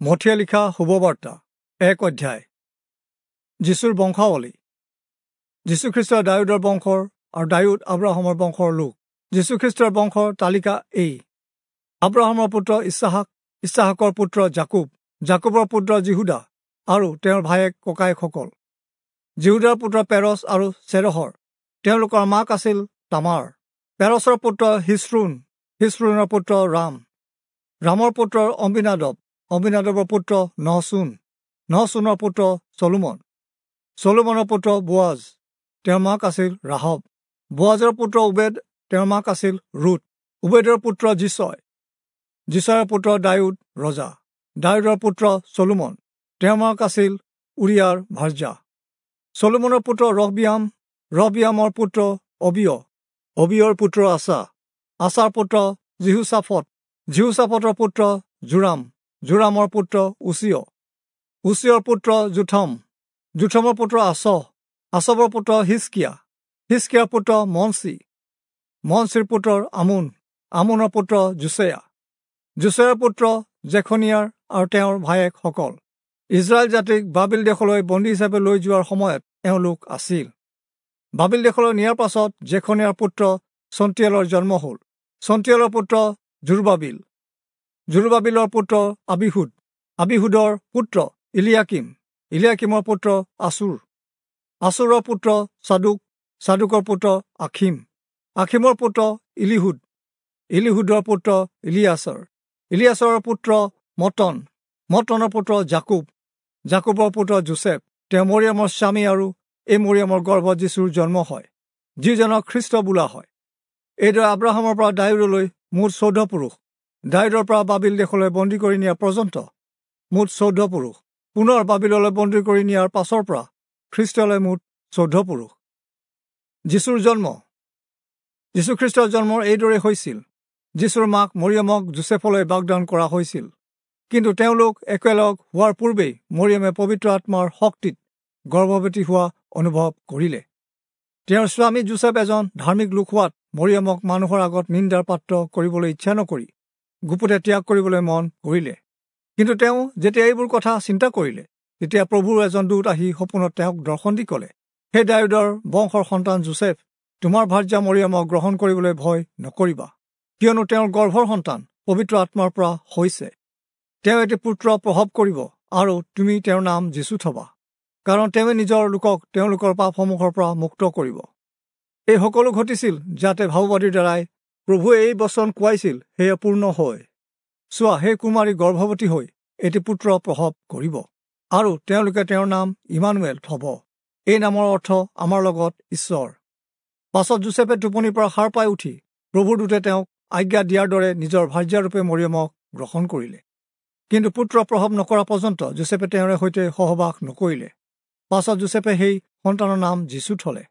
মথিয়ে লিখা শুভবাৰ্তা 1 অধ্যায়। যীশুৰ বংশাৱলী। যীশুখ্ৰীষ্ট দায়ূদৰ বংশৰ আৰু দায়ূদ আব্ৰাহামৰ বংশৰ লোক। যীশুখ্ৰীষ্টৰ বংশৰ তালিকা এই: আব্ৰাহামৰ পুত্ৰ ইছহাক, ইছহাকৰ পুত্ৰ যাকুব, যাকুবৰ পুত্ৰ যিহূদা আৰু তেওঁৰ ভায়েক ককায়েকসকল। যিহূদাৰ পুত্ৰ পেৰছ আৰু চেৰহৰ, তেওঁলোকৰ মাক আছিল তামাৰ। পেৰছৰ পুত্ৰ হিস্ৰোণ, হিস্ৰোণৰ পুত্ৰ ৰাম, ৰামৰ পুত্ৰ অম্বিনাদব, অম্বিনাদবৰ পুত্ৰ নহচোন, নহচোনৰ পুত্ৰ চলোমন, চলোমনৰ পুত্ৰ বোৱাজ, তেওঁৰ মাক আছিল ৰাহব। বোৱাজৰ পুত্ৰ উবেদ, তেওঁৰ মাক আছিল ৰুত। উবেদৰ পুত্ৰ যিচয়, যিচয়ৰ পুত্ৰ দায়ূদ ৰজা, দায়ূদৰ পুত্ৰ চলোমন, তেওঁৰ মাক আছিল উৰিয়াৰ ভাৰ্যা। চলোমনৰ পুত্ৰ ৰহবিয়াম, ৰহবিয়ামৰ পুত্ৰ অবিয়, অবিয়ৰ পুত্ৰ আছা, আছাৰ পুত্ৰ যিহোচাফট, যিহোচাফটৰ পুত্ৰ জোৰাম, জোৰামৰ পুত্ৰ উচিয়, উচিয়ৰ পুত্ৰ জোথম, জোথমৰ পুত্ৰ আচহ, আচবৰ পুত্ৰ হিচকিয়া, হিচকিয়াৰ পুত্ৰ মনচি, মনচিৰ পুত্ৰ আমোন, আমোনৰ পুত্ৰ যোচিয়া, যোচিয়াৰ পুত্ৰ জেখনিয়াৰ আৰু তেওঁৰ ভায়েকসকল। ইজৰাইল জাতিক বাবিল দেশলৈ বন্দী হিচাপে লৈ যোৱাৰ সময়ত এওঁলোক আছিল। বাবিল দেশলৈ নিয়াৰ পাছত জেখনিয়াৰ পুত্ৰ চন্তিয়ালৰ জন্ম হ'ল। চন্তিয়ালৰ পুত্ৰ জোৰবাবিল, জোৰবাবিলৰ পুত্ৰ আবিহুদ, আবিহুদৰ পুত্ৰ ইলিয়াকিম, ইলিয়াকিমৰ পুত্ৰ আচুৰ, আচুৰৰ পুত্ৰ চাদুক, চাদুকৰ পুত্ৰ আখিম, আখিমৰ পুত্ৰ ইলিহুদ, ইলিহুদৰ পুত্ৰ ইলিয়াছৰ, ইলিয়াছৰৰ পুত্ৰ মতন, মতনৰ পুত্ৰ যাকুব, যাকুবৰ পুত্ৰ যোচেফ। তেওঁ মৰিয়মৰ স্বামী আৰু এই মৰিয়মৰ গৰ্ভত যীশুৰ জন্ম হয়, যিজনক খ্ৰীষ্ট বোলা হয়। এইদৰে আব্ৰাহামৰ পৰা দায়ূদলৈ মুঠ 14 পুৰুষ, দায়ূদৰ পৰা বাবিল দেশলৈ বন্দী কৰি নিয়া পৰ্যন্ত মুঠ 14 পুৰুষ, পুনৰ বাবিললৈ বন্দী কৰি নিয়াৰ পাছৰ পৰা খ্ৰীষ্টলৈ মুঠ 14 পুৰুষ। যীশুৰ জন্ম। যীশুখ্ৰীষ্টৰ জন্ম এইদৰে হৈছিল। যীশুৰ মাক মৰিয়মক যোচেফলৈ বাগদান কৰা হৈছিল, কিন্তু তেওঁলোক একেলগ হোৱাৰ পূৰ্বেই মৰিয়মে পবিত্ৰ আত্মাৰ শক্তিত গৰ্ভৱতী হোৱা অনুভৱ কৰিলে। তেওঁৰ স্বামী যোচেফ এজন ধাৰ্মিক লোক হোৱাত মৰিয়মক মানুহৰ আগত নিন্দাৰ পাত্ৰ কৰিবলৈ ইচ্ছা নকৰি গুপুতে ত্যাগ কৰিবলৈ মন কৰিলে। কিন্তু তেওঁ যেতিয়া এইবোৰ কথা চিন্তা কৰিলে, তেতিয়া প্ৰভুৰ এজন দূত আহি সপোনত তেওঁক দৰ্শন দি ক'লে, হে দায়ূদৰ বংশৰ সন্তান যোচেফ, তোমাৰ ভাৰ্যা মৰিয়মক গ্ৰহণ কৰিবলৈ ভয় নকৰিবা, কিয়নো তেওঁৰ গৰ্ভৰ সন্তান পবিত্ৰ আত্মাৰ পৰা হৈছে। তেওঁ এটি পুত্ৰ প্ৰসৱ কৰিব আৰু তুমি তেওঁৰ নাম যীশু থবা, কাৰণ তেওঁৱে নিজৰ লোকক তেওঁলোকৰ পাপসমূহৰ পৰা মুক্ত কৰিব। এই সকলো ঘটিছিল যাতে ভাৱবাদীৰ দ্বাৰাই প্ৰভুৱে এই বচন কোৱাইছিল সেয়া পূৰ্ণ হয়। চোৱা, সেই কুমাৰী গৰ্ভৱতী হৈ এটি পুত্ৰ প্ৰসৱ কৰিব আৰু তেওঁলোকে তেওঁৰ নাম ইমানুৱেল থব। এই নামৰ অৰ্থ আমাৰ লগত ঈশ্বৰ। পাছত যোচেফে টোপনিৰ পৰা সাৰ পাই উঠি প্ৰভুৰ দূতে তেওঁক আজ্ঞা দিয়াৰ দৰে নিজৰ ভাৰ্যাৰূপে মৰিয়মক গ্ৰহণ কৰিলে। কিন্তু পুত্ৰ প্ৰসৱ নকৰা পৰ্যন্ত যোচেফে তেওঁৰে সৈতে সহবাস নকৰিলে। পাছত যোচেফে সেই সন্তানৰ নাম যীশু থলে।